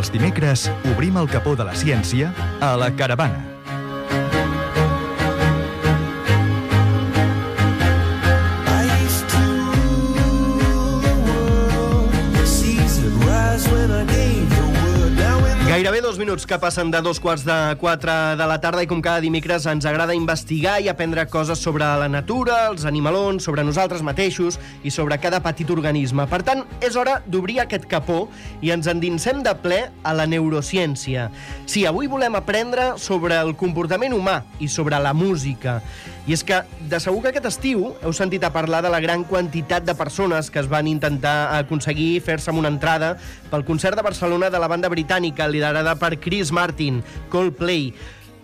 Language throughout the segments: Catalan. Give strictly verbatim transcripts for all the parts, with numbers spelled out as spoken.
Els dimecres obrim el capó de la ciència a La Caravana. Gairebé dos minuts que passen de dos quarts de quatre de la tarda i com cada dimecres ens agrada investigar i aprendre coses sobre la natura, els animalons, sobre nosaltres mateixos i sobre cada petit organisme. Per tant, és hora d'obrir aquest capó i ens endinsem de ple a la neurociència. Sí, avui volem aprendre sobre el comportament humà i sobre la música. I és que, de segur que aquest estiu heu sentit a parlar de la gran quantitat de persones que es van intentar aconseguir fer-se amb una entrada pel concert de Barcelona de la banda britànica liderada per Chris Martin, Coldplay.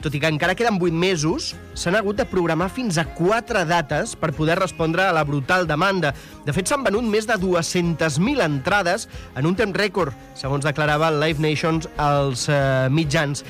Tot i que encara queden vuit mesos, s'han hagut de programar fins a quatre dates per poder respondre a la brutal demanda. De fet, s'han venut més de dues-centes mil entrades en un temps rècord, segons declarava el Live Nation als eh, mitjans.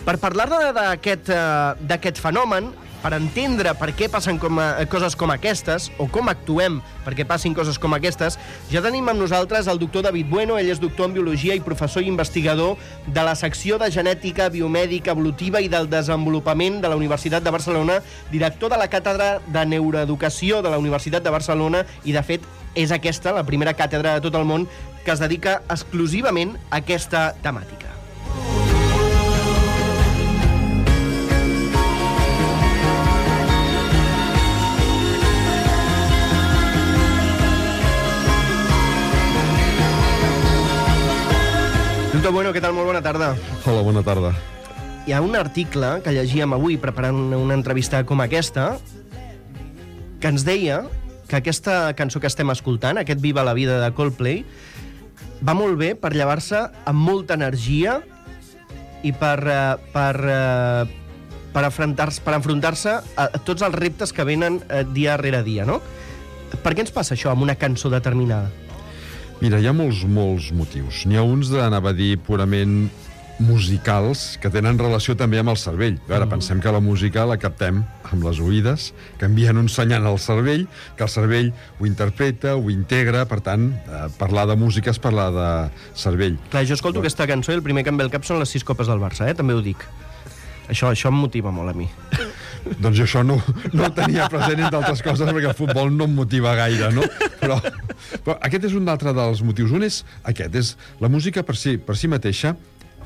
Per parlar d'aquest eh, d'aquest fenomen, per entendre per què passen com a, coses com aquestes, o com actuem perquè passin coses com aquestes, ja tenim amb nosaltres el doctor David Bueno. Ell és doctor en Biologia i professor i investigador de la secció de Genètica Biomèdica Evolutiva i del Desenvolupament de la Universitat de Barcelona, director de la Càtedra de Neuroeducació de la Universitat de Barcelona, i de fet és aquesta la primera càtedra de tot el món que es dedica exclusivament a aquesta temàtica. Doctor Bueno, què tal? Molt bona tarda. Hola, bona tarda. Hi ha un article que llegíem avui preparant una entrevista com aquesta que ens deia que aquesta cançó que estem escoltant, aquest Viva la vida de Coldplay, va molt bé per llevar-se amb molta energia i per, per, per, afrontar-se, per enfrontar-se a tots els reptes que venen dia rere dia, no? Per què ens passa això amb una cançó determinada? Mira, hi ha molts, molts motius. N'hi ha uns d'anava a dir purament musicals que tenen relació també amb el cervell. A veure, mm. pensem que la música la captem amb les oïdes, que envien un senyal al cervell, que el cervell ho interpreta, ho integra, per tant, eh, parlar de música és parlar de cervell. Clar, jo escolto Però... aquesta cançó i el primer que em ve al cap són les sis copes del Barça, eh? També ho dic. Això, això em motiva molt a mi. Doncs jo això no, no ho tenia present, entre altres coses, perquè el futbol no em motiva gaire, no? Però, però aquest és un altre dels motius. Un és aquest, és la música per si, per si mateixa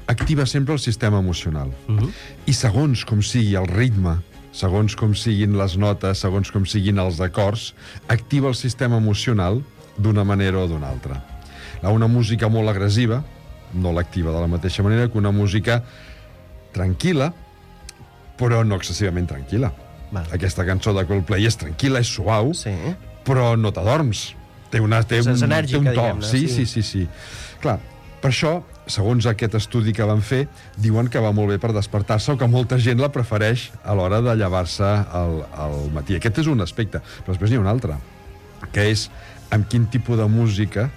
activa sempre el sistema emocional. Uh-huh. I segons com sigui el ritme, segons com siguin les notes, segons com siguin els acords, activa el sistema emocional d'una manera o d'una altra. Una música molt agressiva no l'activa de la mateixa manera que una música tranquil·la, però no excessivament tranquil·la. Val. Aquesta cançó de Coldplay és tranquil·la, és suau, sí. però no t'adorms. Té, una, té, un, enèrgica, té un to. diguem-ne. Sí, sí, sí, sí. Clar, per això, segons aquest estudi que van fer, diuen que va molt bé per despertar-se o que molta gent la prefereix a l'hora de llevar-se al, al matí. Aquest és un aspecte, però després n'hi ha un altre, que és amb quin tipus de música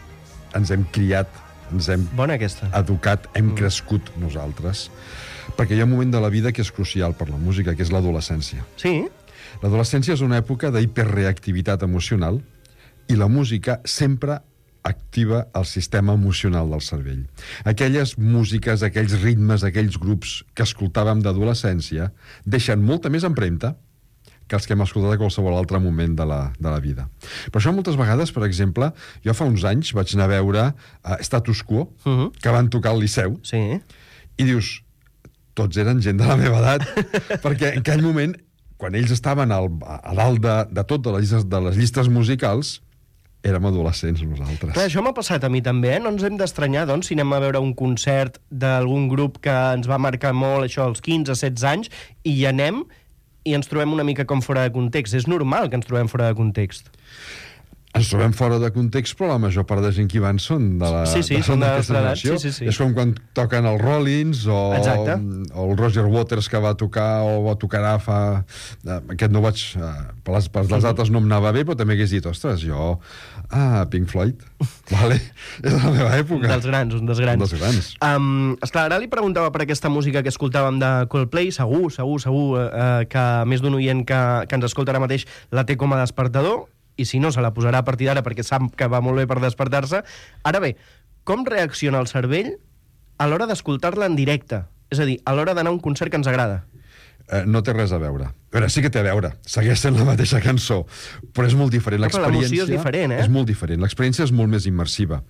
ens hem criat, ens hem Bona aquesta. educat, hem Mm. crescut nosaltres. Perquè hi ha un moment de la vida que és crucial per la música, que és l'adolescència. Sí? L'adolescència és una època d'hiperreactivitat emocional i la música sempre activa el sistema emocional del cervell. Aquelles músiques, aquells ritmes, aquells grups que escoltàvem d'adolescència deixen molta més empremta que els que hem escoltat a qualsevol altre moment de la, de la vida. Per això moltes vegades, per exemple, jo fa uns anys vaig anar a veure uh, Status Quo, uh-huh. que van tocar al Liceu, sí. i dius, tots eren gent de la meva edat, perquè en aquell moment, quan ells estaven al, a dalt de, de tot, de les, llistes, de les llistes musicals, érem adolescents nosaltres. Clar, això m'ha passat a mi també, eh? No ens hem d'estranyar, doncs, si anem a veure un concert d'algun grup que ens va marcar molt, això, als quinze, setze anys, i hi anem i ens trobem una mica com fora de context. És normal que ens trobem fora de context. Ens trobem fora de context, però la major part de gent que hi van són de la sí, sí, de, són de d'aquesta generació. Sí, sí, sí. És com quan toquen els Rollins o, o el Roger Waters que va tocar o va tocar fa... Aquest no vaig... Per les, per les dates no em anava bé, però també hagués dit, ostres, jo... Ah, Pink Floyd. Vale. És de la meva època. Un dels grans, un dels grans. Un dels grans. Um, esclar, ara li preguntava per aquesta música que escoltàvem de Coldplay. Segur, segur, segur uh, que més d'un oient que, que ens escolta ara mateix la té com a despertador, i si no, se la posarà a partir d'ara perquè sap que va molt bé per despertar-se. Ara bé, com reacciona el cervell a l'hora d'escoltar-la en directe. És a dir, a l'hora d'anar a un concert que ens agrada. Eh, no té res a veure. A veure, sí que té a veure. Segueix sent la mateixa cançó, però és molt diferent. No, però l'emoció és diferent, eh? És molt diferent. L'experiència és molt més immersiva.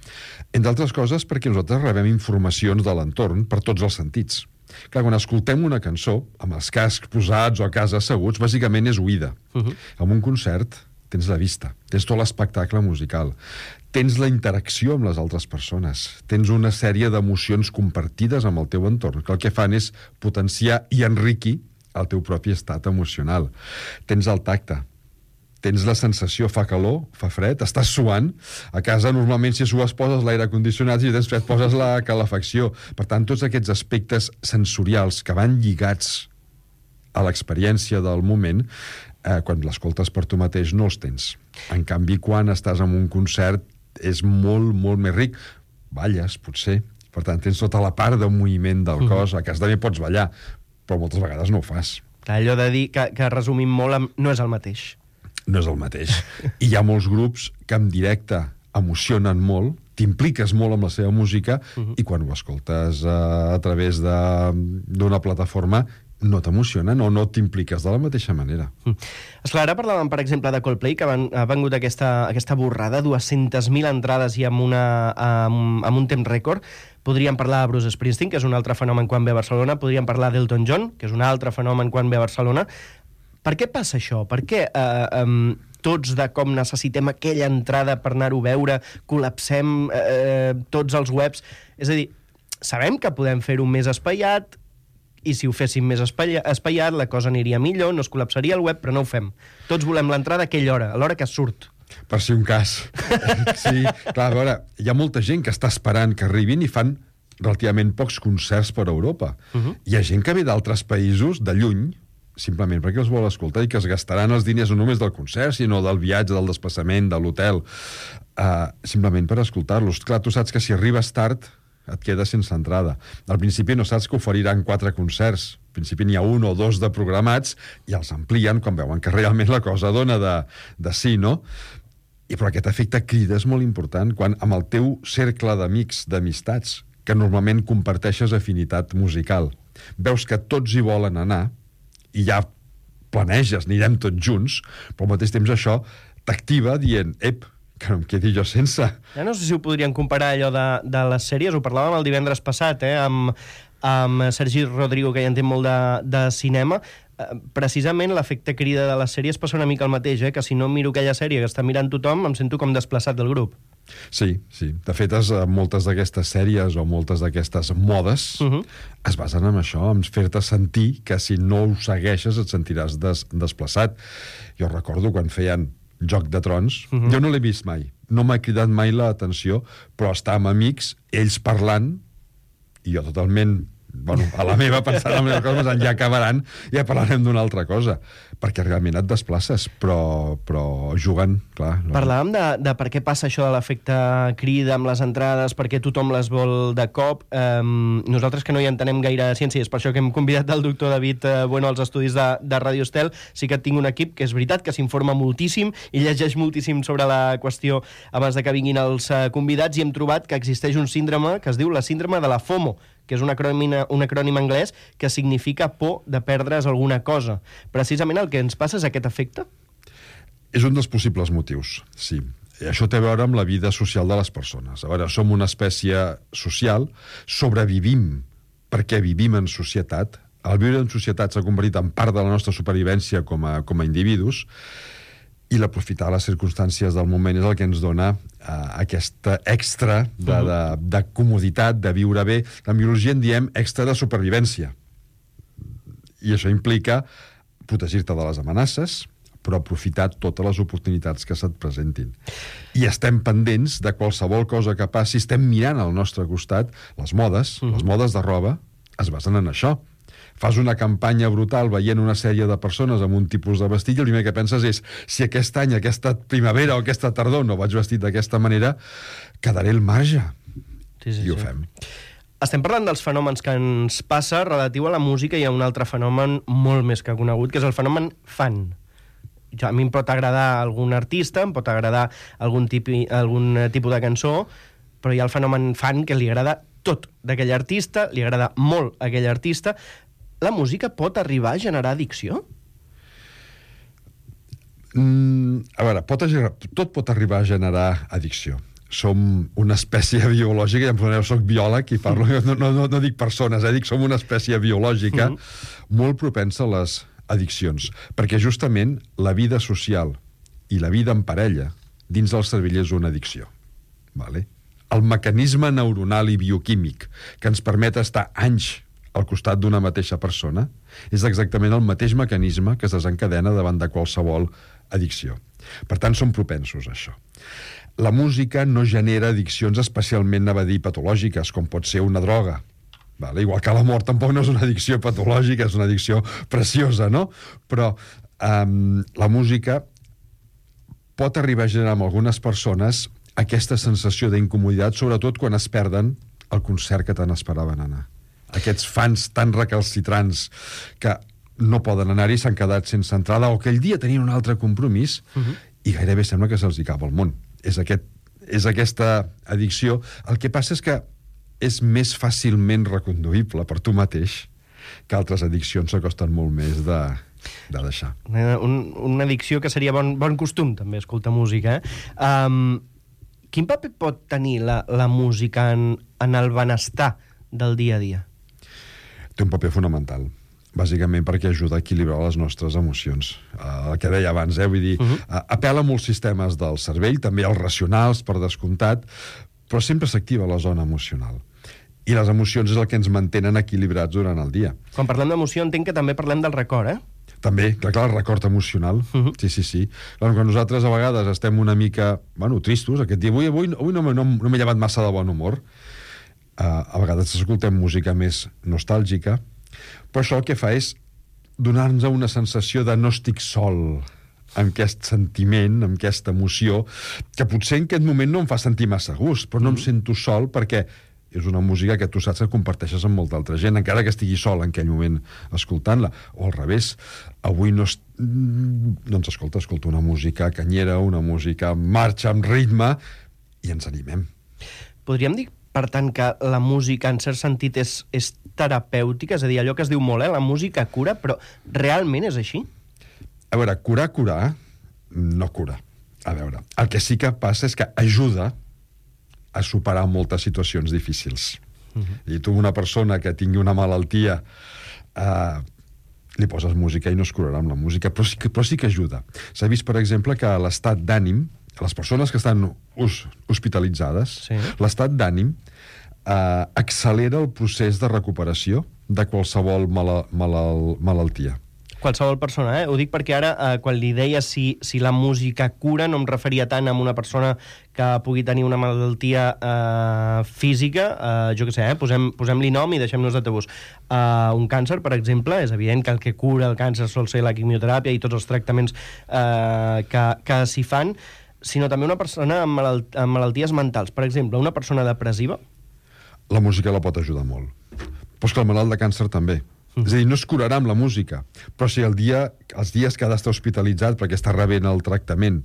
Entre altres coses perquè nosaltres rebem informacions de l'entorn per tots els sentits. Clar, quan escoltem una cançó, amb els cascs posats o a casa asseguts, bàsicament és oïda. Uh-huh. En un concert tens la vista, tens tot l'espectacle musical, tens la interacció amb les altres persones, tens una sèrie d'emocions compartides amb el teu entorn, que el que fan és potenciar i enriquir el teu propi estat emocional. Tens el tacte, tens la sensació, fa calor, fa fred, estàs suant. A casa, normalment, si sues, poses l'aire condicionat, i si tens fred, poses la calefacció. Per tant, tots aquests aspectes sensorials que van lligats a l'experiència del moment, eh, quan l'escoltes per tu mateix, no els tens. En canvi, quan estàs en un concert, és molt, molt més ric. Balles, potser. Per tant, tens tota la part de moviment del cos. A casa també pots ballar, però moltes vegades no ho fas. Allò de dir que, que resumim molt amb, no és el mateix. No és el mateix. I hi ha molts grups que en directe emocionen molt, t'impliques molt amb la seva música, uh-huh. i quan ho escoltes uh, a través d'una plataforma no t'emocionen o no t'impliques de la mateixa manera. Mm. Esclar, ara parlàvem, per exemple, de Coldplay, que van, ha vengut aquesta, aquesta borrada, dues-centes mil entrades i amb, una, amb, amb un temps rècord. Podríem parlar de Bruce Springsteen, que és un altre fenomen quan ve a Barcelona. Podríem parlar d'Elton John, que és un altre fenomen quan ve a Barcelona. Per què passa això? Per què eh, um, tots de com necessitem aquella entrada per anar-ho a veure, col·lapsem eh, tots els webs? És a dir, sabem que podem fer-ho més espaiat, i si ho féssim més espaiat, la cosa aniria millor, no es col·lapsaria el web, però no ho fem. Tots volem l'entrada a aquella hora, a l'hora que surt. Per si un cas. Sí, clar, a veure, hi ha molta gent que està esperant que arribin i fan relativament pocs concerts per Europa. Uh-huh. Hi ha gent que ve d'altres països, de lluny, simplement perquè els vol escoltar i que es gastaran els diners no només del concert, sinó del viatge, del desplaçament, de l'hotel, uh, simplement per escoltar-los. Clar, tu saps que si arribes tard et quedes sense entrada. Al principi no saps que oferiran quatre concerts. Al principi n'hi ha un o dos de programats i els amplien quan veuen que realment la cosa dona de, de sí, no? I però aquest efecte crida és molt important quan amb el teu cercle d'amics, d'amistats, que normalment comparteixes afinitat musical, veus que tots hi volen anar i ja planeges, anirem tots junts, però al mateix temps això t'activa dient, ep, que no em quedi jo sense. Ja no sé si ho podrien comparar allò de, de les sèries, ho parlàvem el divendres passat, eh, amb, amb Sergi Rodrigo, que ja entén molt de, de cinema. Eh, precisament l'efecte crida de les sèries passa una mica el mateix, eh, que si no miro aquella sèrie que està mirant tothom, em sento com desplaçat del grup. Sí, sí. De fet, es, moltes d'aquestes sèries o moltes d'aquestes modes uh-huh. es basen en això, en fer-te sentir que si no ho segueixes et sentiràs des, desplaçat. Jo recordo quan feien Joc de Trons, uh-huh. jo no l'he vist mai, no m'ha cridat mai l'atenció, però estar amb amics, ells parlant, i jo totalment, bueno, a la meva, pensant en les coses, ja acabaran, ja parlarem d'una altra cosa, perquè realment et desplaces, però, però jugant, clar. No? Parlàvem de, de per què passa això de l'efecte crida amb les entrades, perquè tothom les vol de cop. Um, nosaltres que no hi entenem gaire de ciència, és per això que hem convidat el doctor David uh, Bueno als estudis de, de Radio Estel. Sí que tinc un equip que és veritat que s'informa moltíssim i llegeix moltíssim sobre la qüestió abans de que vinguin els uh, convidats, i hem trobat que existeix un síndrome que es diu la síndrome de la FOMO, que és un acrònim, un acrònim anglès que significa por de perdre's alguna cosa. Precisament el que ens passa és aquest efecte? És un dels possibles motius, sí. I això té a veure amb la vida social de les persones. A veure, som una espècie social, sobrevivim perquè vivim en societat. El viure en societat s'ha convertit en part de la nostra supervivència com a, com a individus, i l'aprofitar les circumstàncies del moment és el que ens dona uh, aquesta extra de, de, de comoditat, de viure bé. En biologia en diem extra de supervivència. I això implica protegir-te de les amenaces, però aprofitar totes les oportunitats que se't presentin. I estem pendents de qualsevol cosa que passi, estem mirant al nostre costat. Les modes, uh-huh. les modes de roba, es basen en això. Fas una campanya brutal veient una sèrie de persones amb un tipus de vestit i el primer que penses és si aquest any, aquesta primavera o aquesta tardor no vaig vestit d'aquesta manera, quedaré al marge. Sí, sí, I ho sí. fem. Estem parlant dels fenòmens que ens passa relatiu a la música, i hi ha un altre fenomen molt més que conegut, que és el fenomen fan. A mi em pot agradar algun artista, em pot agradar algun, tipi, algun tipus de cançó, però hi ha el fenomen fan que li agrada tot d'aquell artista, li agrada molt aquell artista. La música pot arribar a generar addicció? Mm, a veure, pot, tot pot arribar a generar addicció. Som una espècie biològica, ja em soneu, soc biòleg i parlo, no, no, no, no dic persones, eh, dic som una espècie biològica mm -hmm. molt propensa a les addiccions, perquè justament la vida social i la vida en parella dins del cervell és una addicció. Vale? El mecanisme neuronal i bioquímic que ens permet estar anys al costat d'una mateixa persona és exactament el mateix mecanisme que es desencadena davant de qualsevol addicció. Per tant, som propensos a això. La música no genera addiccions especialment, anava a dir, patològiques, com pot ser una droga. Vale? Igual que la mort tampoc no és una addicció patològica, és una addicció preciosa, no? Però um, la música pot arribar a generar en algunes persones aquesta sensació d'incomoditat, sobretot quan es perden el concert que tant esperaven anar. Aquests fans tan recalcitrants que no poden anar-hi, s'han quedat sense entrada, o aquell dia tenien un altre compromís, uh-huh. i gairebé sembla que se'ls hi acaba el món. És, aquest, és aquesta addicció. El que passa és que és més fàcilment reconduïble per tu mateix que altres addiccions s'acosten molt més de, de deixar. Un, una addicció que seria bon, bon costum, també, escoltar música. Eh? Um, quin paper pot tenir la, la música en, en el benestar del dia a dia? Té un paper fonamental, bàsicament perquè ajuda a equilibrar les nostres emocions. Uh, el que deia abans, eh? Vull dir, uh-huh. uh, apel·la a molts sistemes del cervell, també als racionals, per descomptat, però sempre s'activa la zona emocional. I les emocions és el que ens mantenen equilibrats durant el dia. Quan parlem d'emoció entenc que també parlem del record, eh? També, clar, clar, el record emocional. Uh-huh. Sí, sí, sí. Clar, quan nosaltres a vegades estem una mica, bueno, tristos, aquest dia, avui, avui, avui no, no, no m'he llevat massa de bon humor, uh, a vegades escoltem música més nostàlgica, però això el que fa és donar-nos una sensació de no estic sol amb aquest sentiment, amb aquesta emoció, que potser en aquest moment no em fa sentir massa gust, però no em sento sol perquè és una música que tu saps que comparteixes amb molta altra gent, encara que estigui sol en aquell moment escoltant-la. O al revés, avui no, es... doncs escolta, escolta una música canyera, una música en marxa, amb ritme, i ens animem. Podríem dir, per tant, que la música, en cert sentit, és, és terapèutica? És a dir, allò que es diu molt, eh? La música cura, però realment és així? A veure, curar, curar, no cura. A veure, el que sí que passa és que ajuda a superar moltes situacions difícils. Uh-huh. I tu, una persona que tingui una malaltia, eh, li poses música i no es curarà amb la música, però sí que, però sí que ajuda. S'ha vist, per exemple, que l'estat d'ànim, les persones que estan us, hospitalitzades, sí. l'estat d'ànim eh, accelera el procés de recuperació de qualsevol mala, malal, malaltia. Qualsevol persona, eh? Ho dic perquè ara, eh, quan li deia si, si la música cura, no em referia tant a una persona que pugui tenir una malaltia eh, física, eh, jo què sé, eh? Posem, posem-li nom i deixem-nos de tabús. Eh, un càncer, per exemple, és evident que el que cura el càncer sol ser la quimioteràpia i tots els tractaments eh, que, que s'hi fan, sinó també una persona amb, malalt amb malalties mentals. Per exemple, una persona depressiva. La música la pot ajudar molt. Però és que el malalt de càncer també. És a dir, no es curarà amb la música, però si el dia, els dies que ha d'estar hospitalitzat perquè està rebent el tractament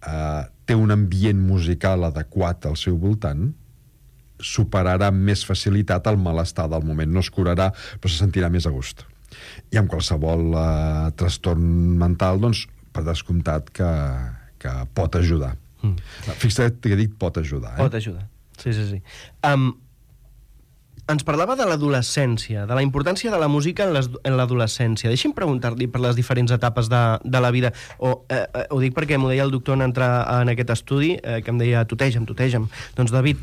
eh, té un ambient musical adequat al seu voltant, superarà amb més facilitat el malestar del moment. No es curarà, però se sentirà més a gust. I amb qualsevol eh, trastorn mental, doncs, per descomptat que, que pot ajudar. Mm. Fixa't que he dit pot ajudar. Eh? Pot ajudar, sí, sí, sí. Um, Ens parlava de l'adolescència, de la importància de la música en l'adolescència. Deixi'm preguntar-li per les diferents etapes de, de la vida. O, eh, eh, ho dic perquè m'ho deia el doctor en entrar en aquest estudi, eh, que em deia, tuteja'm, tuteja'm. Doncs, David,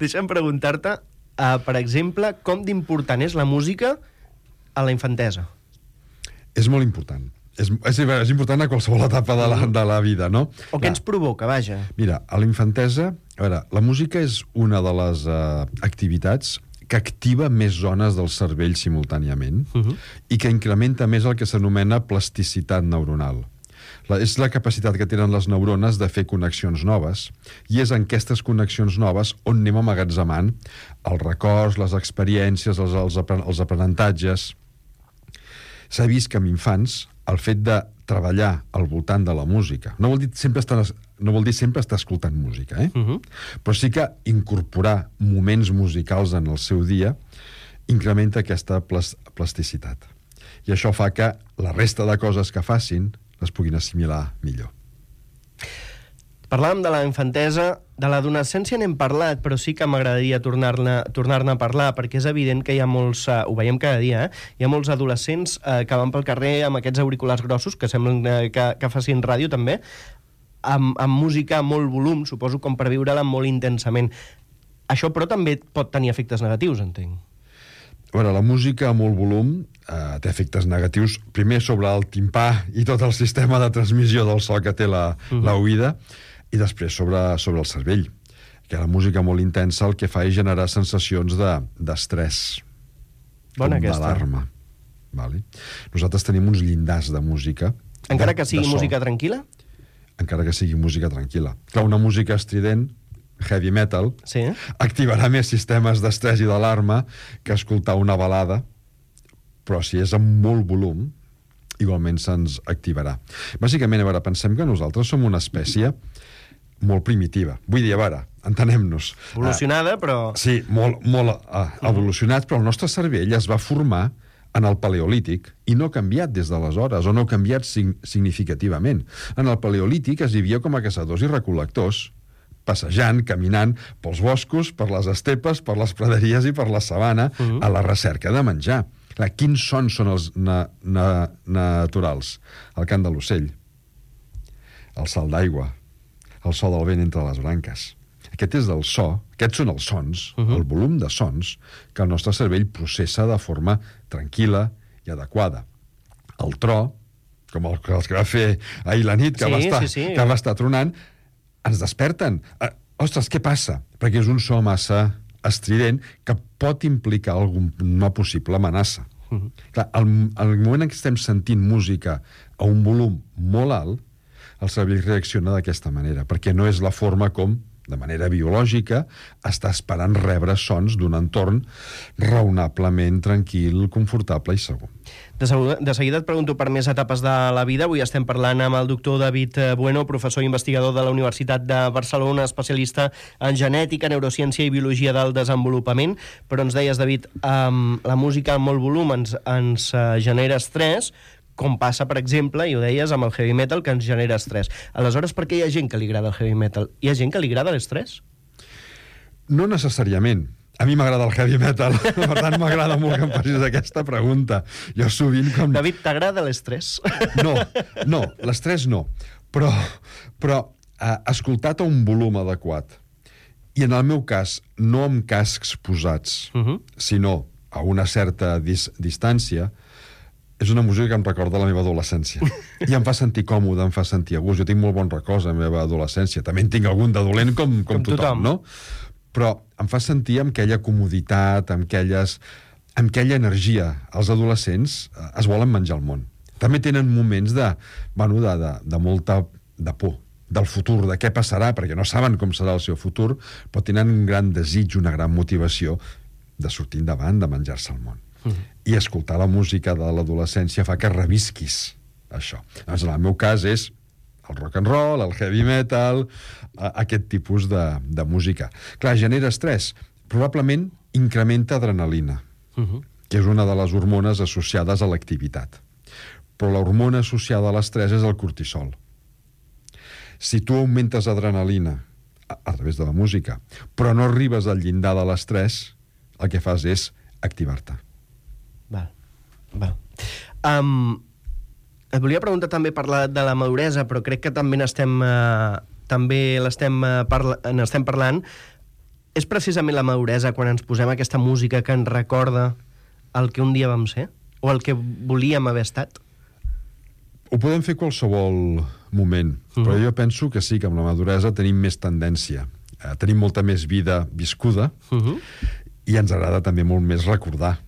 deixa'm preguntar-te, eh, per exemple, com d'important és la música a la infantesa? És molt important. És, és, és important a qualsevol etapa de la, de la vida, no? O què ens provoca, vaja? Mira, a la infantesa, a veure, la música és una de les uh, activitats que activa més zones del cervell simultàniament uh-huh. i que incrementa més el que s'anomena plasticitat neuronal. La, és la capacitat que tenen les neurones de fer connexions noves, i és en aquestes connexions noves on anem amagatzemant els records, les experiències, els, els, els aprenentatges. S'ha vist que amb infants el fet de treballar al voltant de la música, no vol dir sempre estar no vol dir sempre estar escoltant música, eh? Uh-huh. Però sí que incorporar moments musicals en el seu dia incrementa aquesta plas plasticitat. I això fa que la resta de coses que facin les puguin assimilar millor. Parlàvem de la infantesa, de l'adolescència n'hem parlat, però sí que m'agradaria tornar-ne tornar-ne a parlar, perquè és evident que hi ha molts, uh, ho veiem cada dia, eh? Hi ha molts adolescents uh, que van pel carrer amb aquests auriculars grossos, que semblen uh, que, que facin ràdio també, amb, amb música a molt volum, suposo, com per viure-la molt intensament. Això, però, també pot tenir efectes negatius, entenc. A veure, la música a molt volum eh, té efectes negatius, primer sobre el timpà i tot el sistema de transmissió del so que té la, uh-huh. la oïda, i després sobre, sobre el cervell, que la música molt intensa el que fa és generar sensacions d'estrès, de, Bona com aquesta. d'alarma. Vale? Nosaltres tenim uns llindars de música. Encara de, que sigui de música tranquil·la? Encara que sigui música tranquil·la. Clar, una música estrident, heavy metal, Sí. activarà més sistemes d'estrès i d'alarma que escoltar una balada, però si és amb molt volum, igualment se'ns activarà. Bàsicament, a veure, pensem que nosaltres som una espècie molt primitiva. Vull dir, a veure, entenem-nos. Evolucionada, però... Uh, sí, molt, molt uh, evolucionat, però el nostre cervell es va formar en el paleolític i no ha canviat des d'aleshores, o no ha canviat sig significativament. En el paleolític es vivia com a caçadors i recol·lectors, passejant, caminant pels boscos, per les estepes, per les praderies i per la sabana, uh -huh. a la recerca de menjar. Clar, quins sons són els na na naturals? El cant de l'ocell, el salt d'aigua, el so del vent entre les branques. Aquest és el so, aquests són els sons, uh -huh. el volum de sons que el nostre cervell processa de forma tranquil·la i adequada. El tro, com el, els que va fer ahir la nit, que, sí, va, estar, sí, sí. que va estar tronant, ens desperten. Uh, ostres, què passa? Perquè és un so massa estrident que pot implicar alguna possible amenaça. Uh -huh. Clar, al, al moment en què estem sentint música a un volum molt alt, el cervell reacciona d'aquesta manera, perquè no és la forma com, de manera biològica, està esperant rebre sons d'un entorn raonablement tranquil, confortable i segur. De, seguida, de seguida et pregunto per més etapes de la vida. Avui estem parlant amb el doctor David Bueno, professor i investigador de la Universitat de Barcelona, especialista en genètica, neurociència i biologia del desenvolupament. Però ens deies, David, um, la música amb molt volum ens, ens uh, genera estrès, com passa, per exemple, i ho deies, amb el heavy metal, que ens genera estrès. Aleshores, per què hi ha gent que li agrada el heavy metal? Hi ha gent que li agrada l'estrès? No necessàriament. A mi m'agrada el heavy metal, per tant m'agrada molt que em facis aquesta pregunta. Jo sovint com... David, t'agrada l'estrès? No, no, l'estrès no. Però, però eh, escoltat a un volum adequat, i en el meu cas, no amb cascs posats, uh -huh. sinó a una certa dis distància, és una música que em recorda la meva adolescència. I em fa sentir còmode, em fa sentir a gust. Jo tinc molt bons records de la meva adolescència. També en tinc algun de dolent, com, com, com tothom, tothom, no? Però em fa sentir amb aquella comoditat, amb, aquelles, amb aquella energia. Els adolescents es volen menjar el món. També tenen moments de, bueno, de, de, de molta de por del futur, de què passarà, perquè no saben com serà el seu futur, però tenen un gran desig, una gran motivació de sortir endavant, de menjar-se el món. Uh-huh. I escoltar la música de l'adolescència fa que revisquis això. Doncs en el meu cas és el rock and roll, el heavy metal, aquest tipus de, de música. Clar, genera estrès. Probablement incrementa adrenalina, uh-huh. que és una de les hormones associades a l'activitat. Però l'hormona associada a l'estrès és el cortisol. Si tu augmentes adrenalina a, a través de la música, però no arribes al llindar de l'estrès, el que fas és activar-te. Val, val. Um, et volia preguntar també per la, de la maduresa, però crec que també n'estem uh, també l'estem uh, parla, n'estem parlant. És precisament la maduresa quan ens posem aquesta música que ens recorda el que un dia vam ser? O el que volíem haver estat? Ho podem fer qualsevol moment, uh-huh. però jo penso que sí, que amb la maduresa tenim més tendència. Eh, tenim molta més vida viscuda uh-huh. i ens agrada també molt més recordar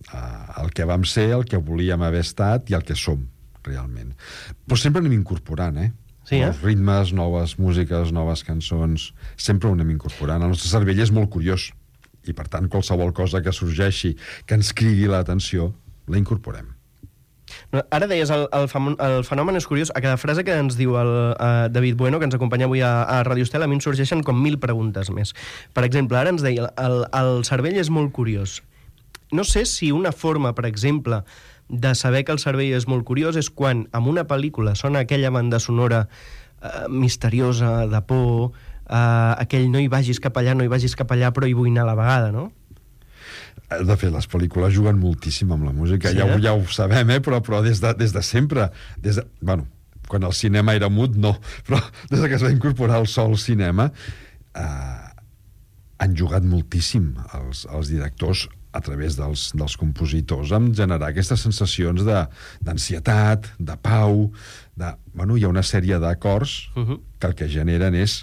Uh, el que vam ser, el que volíem haver estat i el que som, realment. Però sempre anem incorporant, eh? Sí, eh? Nous ritmes, noves músiques, noves cançons, sempre ho anem incorporant. El nostre cervell és molt curiós i, per tant, qualsevol cosa que sorgeixi, que ens cridi l'atenció, la incorporem. No, ara deies, el, el, fam el fenomen és curiós. A cada frase que ens diu el uh, David Bueno, que ens acompanya avui a, a Radio Estel, a mi em sorgeixen com mil preguntes més. Per exemple, ara ens deia, el, el cervell és molt curiós. No sé si una forma, per exemple, de saber que el cervell és molt curiós és quan en una pel·lícula sona aquella banda sonora uh, misteriosa, de por, uh, aquell no hi vagis cap allà, no hi vagis cap allà, però hi vull anar a la vegada, no? De fet, les pel·lícules juguen moltíssim amb la música, sí, ja, eh? ja ho sabem, eh? però, però des, de, des de sempre, des de, bueno, quan el cinema era mut, no, però des que es va incorporar el so al cinema, eh, han jugat moltíssim els, els directors a través dels, dels compositors en generar aquestes sensacions d'ansietat, de, de pau, de, bueno, hi ha una sèrie d'acords uh-huh. que el que generen és,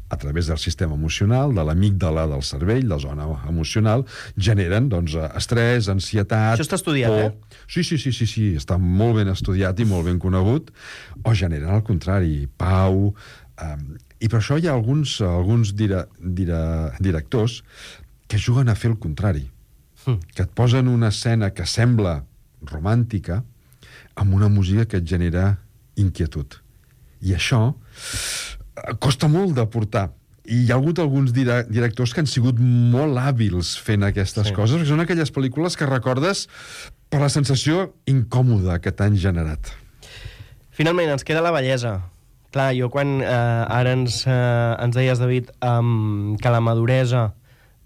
a través del sistema emocional, de l'amígdala del cervell, la zona emocional, generen, doncs, estrès, ansietat... Això està estudiat, por. eh? Sí, sí, sí, sí, sí, està molt ben estudiat i molt ben conegut, o generen, al contrari, pau... Um, I per això hi ha alguns, alguns dire, dire, directors que juguen a fer el contrari, mm. que et posen una escena que sembla romàntica amb una música que et genera inquietud. I això costa molt de portar. I hi ha hagut alguns dire directors que han sigut molt hàbils fent aquestes sí. coses, perquè són aquelles pel·lícules que recordes per la sensació incòmoda que t'han generat. Finalment, ens queda la bellesa. Clar, jo quan eh, ara ens, eh, ens deies, David, um, que la maduresa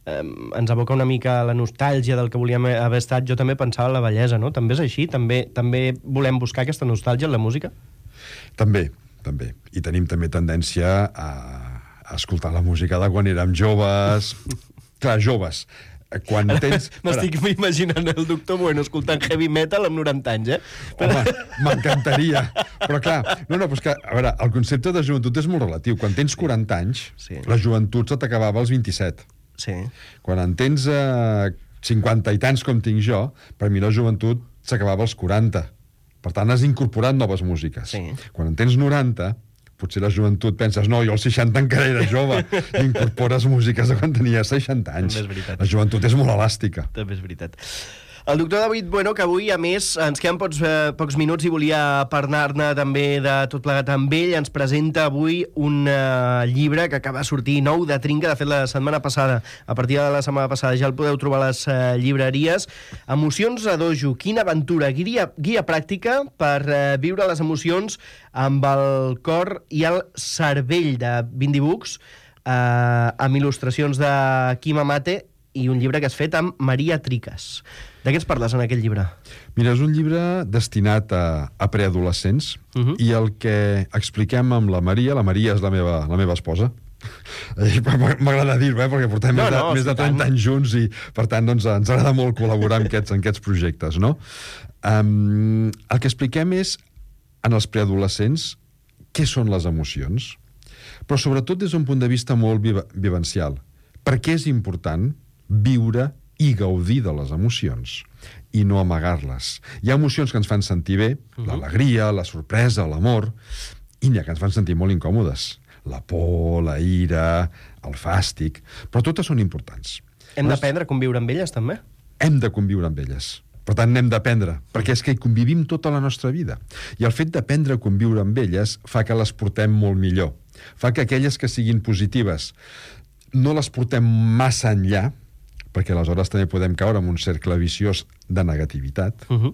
eh, ens evoca una mica la nostàlgia del que volíem haver estat, jo també pensava en la bellesa, no? També és així? També, també volem buscar aquesta nostàlgia en la música? També. També. I tenim també tendència a, a escoltar la música de quan érem joves. Clar, joves. Quan tens... M'estic imaginant el doctor Bueno escoltant heavy metal amb noranta anys, eh? Home, m'encantaria. Però clar, no, no, però és que, a veure, el concepte de joventut és molt relatiu. Quan tens quaranta anys, sí. la joventut se t'acabava als vint-i-set. Sí. Quan en tens eh, cinquanta i tants com tinc jo, per mi la joventut s'acabava als quaranta. Per tant, has incorporat noves músiques. Sí. Quan en tens noranta, potser la joventut penses, no, jo als seixanta encara era jove, i incorpores músiques de quan tenia seixanta anys. També és veritat. La joventut és molt elàstica. També és veritat. El doctor David Bueno, que avui, a més, ens queden pocs, eh, pocs minuts i volia parlar-ne també de tot plegat amb ell, ens presenta avui un eh, llibre que acaba de sortir nou de Trinca, de fet la setmana passada, a partir de la setmana passada ja el podeu trobar a les eh, llibreries. Emocions a dojo, quina aventura, guia, guia pràctica per eh, viure les emocions amb el cor i el cervell, de Bindi Books, eh, amb il·lustracions de Quim Amate, i un llibre que has fet amb Maria Triques. De què ens parles en aquest llibre? Mira, és un llibre destinat a, a preadolescents uh-huh. i el que expliquem amb la Maria, la Maria és la meva, la meva esposa, m'agrada dir-ho, eh, perquè portem no, més, de, no, més de trenta anys junts i, per tant, doncs, ens agrada molt col·laborar en aquests, en aquests projectes, no? Um, el que expliquem és, en els preadolescents, què són les emocions, però sobretot des d'un punt de vista molt viva, vivencial. Per què és important viure i gaudir de les emocions i no amagar-les. Hi ha emocions que ens fan sentir bé, uh-huh. l'alegria, la sorpresa, l'amor, i n'hi ha que ens fan sentir molt incòmodes. La por, la ira, el fàstic, però totes són importants. Hem d'aprendre a conviure amb elles, també? Hem de conviure amb elles. Per tant, n'hem d'aprendre, perquè és que hi convivim tota la nostra vida. I el fet d'aprendre a conviure amb elles fa que les portem molt millor. Fa que aquelles que siguin positives no les portem massa enllà, perquè aleshores també podem caure en un cercle viciós de negativitat, uh-huh.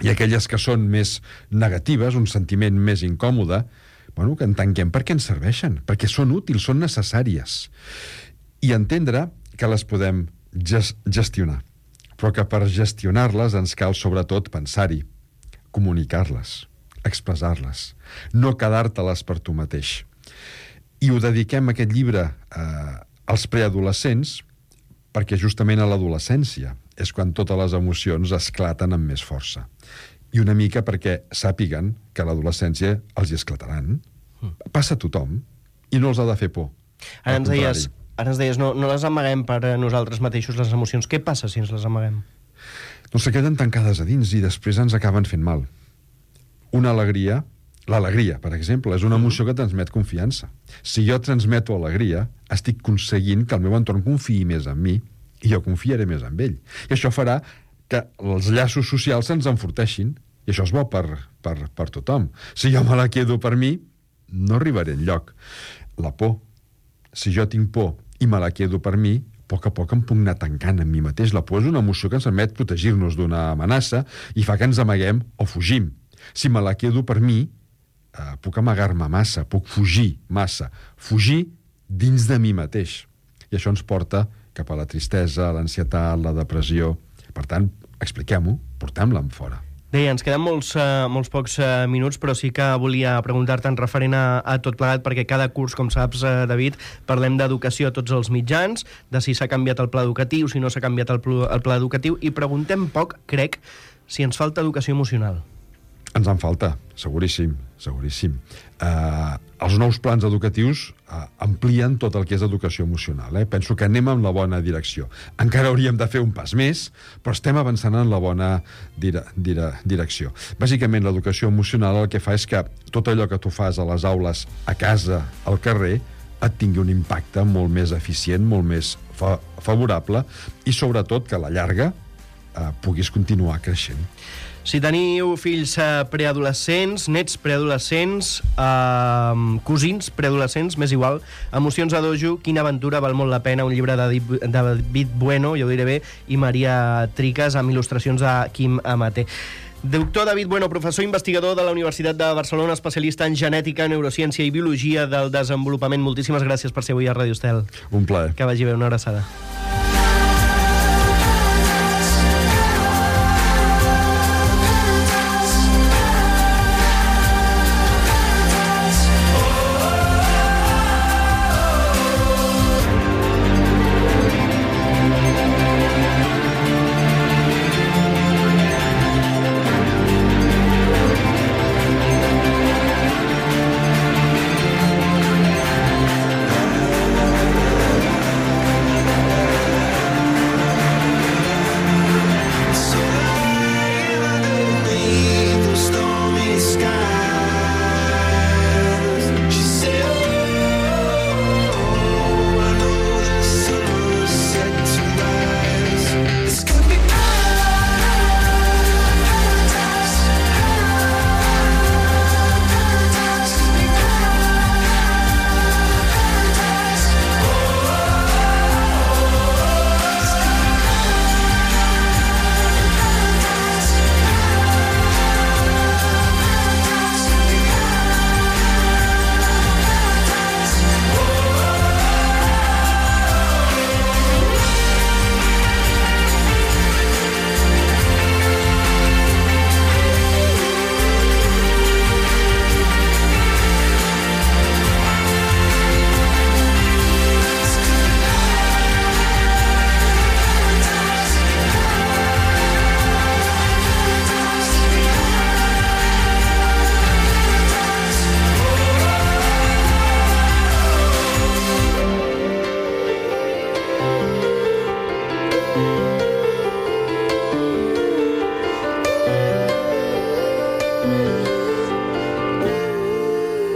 i aquelles que són més negatives, un sentiment més incòmode, bueno, que en tanquem perquè ens serveixen, perquè són útils, són necessàries. I entendre que les podem gest gestionar, però que per gestionar-les ens cal sobretot pensar-hi, comunicar-les, expressar-les, no quedar-te-les per tu mateix. I ho dediquem, aquest llibre, eh, als preadolescents, perquè justament a l'adolescència és quan totes les emocions esclaten amb més força. I una mica perquè sàpiguen que a l'adolescència els hi esclataran. Passa a tothom i no els ha de fer por. Ara ens deies, ara ens deies no, no les amaguem per a nosaltres mateixos, les emocions. Què passa si ens les amaguem? Doncs se queden tancades a dins i després ens acaben fent mal. Una alegria... L'alegria, per exemple, és una emoció que transmet confiança. Si jo transmeto alegria, estic aconseguint que el meu entorn confiï més en mi i jo confiaré més en ell. I això farà que els llaços socials se'ns enforteixin I això és bo per, per, per tothom. Si jo me la quedo per mi, no arribaré enlloc. La por. Si jo tinc por i me la quedo per mi, a poc a poc em puc anar tancant en mi mateix. La por és una emoció que ens permet protegir-nos d'una amenaça i fa que ens amaguem o fugim. Si me la quedo per mi, eh, puc amagar-me massa, puc fugir massa. Fugir dins de mi mateix. I això ens porta cap a la tristesa, l'ansietat, la depressió. Per tant, expliquem-ho, portem-la en fora. Bé, ens queden molts, uh, molts pocs uh, minuts, però sí que volia preguntar-te en referent a, a tot plegat, perquè cada curs, com saps, uh, David, parlem d'educació a tots els mitjans, de si s'ha canviat el pla educatiu, si no s'ha canviat el, pl el pla educatiu, i preguntem poc, crec, si ens falta educació emocional. Ens en falta, seguríssim, seguríssim. Uh, els nous plans educatius uh, amplien tot el que és educació emocional. Eh? Penso que anem en la bona direcció. Encara hauríem de fer un pas més, però estem avançant en la bona dire dire direcció. Bàsicament, l'educació emocional el que fa és que tot allò que tu fas a les aules, a casa, al carrer, et tingui un impacte molt més eficient, molt més fa favorable i, sobretot, que a la llarga uh, puguis continuar creixent. Si teniu fills eh, preadolescents, nets preadolescents, eh, cosins preadolescents, m'és igual, Emocions a dojo, Quina aventura, val molt la pena, un llibre de David Bueno, jo ho diré bé, i Maria Triques, amb il·lustracions de Quim Amater. Doctor David Bueno, professor investigador de la Universitat de Barcelona, especialista en genètica, neurociència i biologia del desenvolupament. Moltíssimes gràcies per ser avui a Ràdio Estel. Un plaer. Que vagi bé, una abraçada.